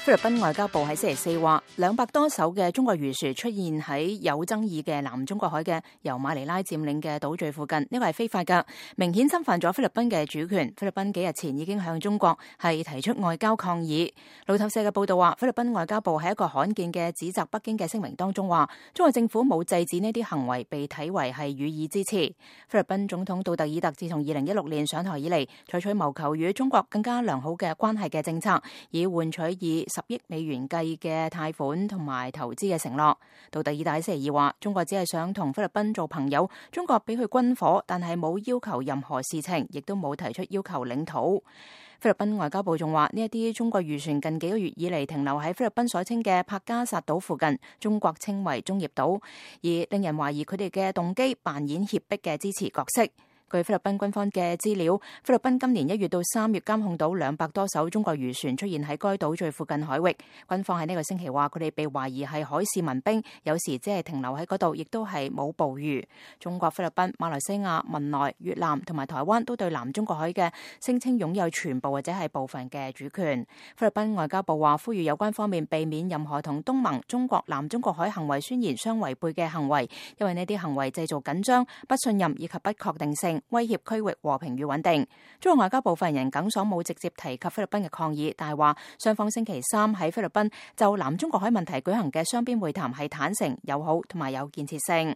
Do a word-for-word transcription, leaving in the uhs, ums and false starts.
菲律賓外交部喺星期四話，兩百多艘嘅中國漁船出現喺有爭議嘅南中國海嘅由馬尼拉佔領嘅島嶼附近，呢個係非法㗎，明顯侵犯咗菲律賓嘅主權。菲律賓幾日前已經向中國係提出外交抗議。路透社嘅報道話，菲律賓外交部喺一個罕見嘅指責北京嘅聲明當中話，中國政府冇制止呢啲行為，被睇為係予以支持。菲律賓總統杜特爾特自從二零一六年上台以嚟，採取謀求與中國更加良好嘅關係嘅政策，以換取以十億美元計嘅貸款同埋投資嘅承諾。杜特爾特喺星期二話，中國只係想同菲律賓做朋友，中國俾佢軍火，但係冇要求任何事情，亦都冇提出要求領土。菲律賓外交部仲話，呢一啲中國漁船近幾個月以嚟停留喺菲律賓所稱嘅帕加薩島附近，中國稱為中業島，而令人懷疑佢哋嘅動機扮演脅迫嘅支持角色。據菲律賓軍方嘅資料，菲律賓今年一月到三月監控到兩百多艘中國漁船出現喺該島最附近海域。軍方喺呢個星期話，佢哋被懷疑係海事民兵，有時只係停留喺嗰度，亦都係冇捕魚。中國、菲律賓、馬來西亞、文萊、越南同埋台灣都對南中國海嘅聲稱擁有全部或者係部分嘅主權。菲律賓外交部話，呼籲有關方面避免任何同東盟、中國南中國海行為宣言相違背嘅行為，因為呢啲行為製造緊張、不信任以及不確定性，威脅區域和平與穩定。中國外交部發言人耿爽冇直接提及菲律賓嘅抗議，但係話雙方星期三喺菲律賓就南中國海問題舉行嘅雙邊會談係坦誠、友好同埋有建設性。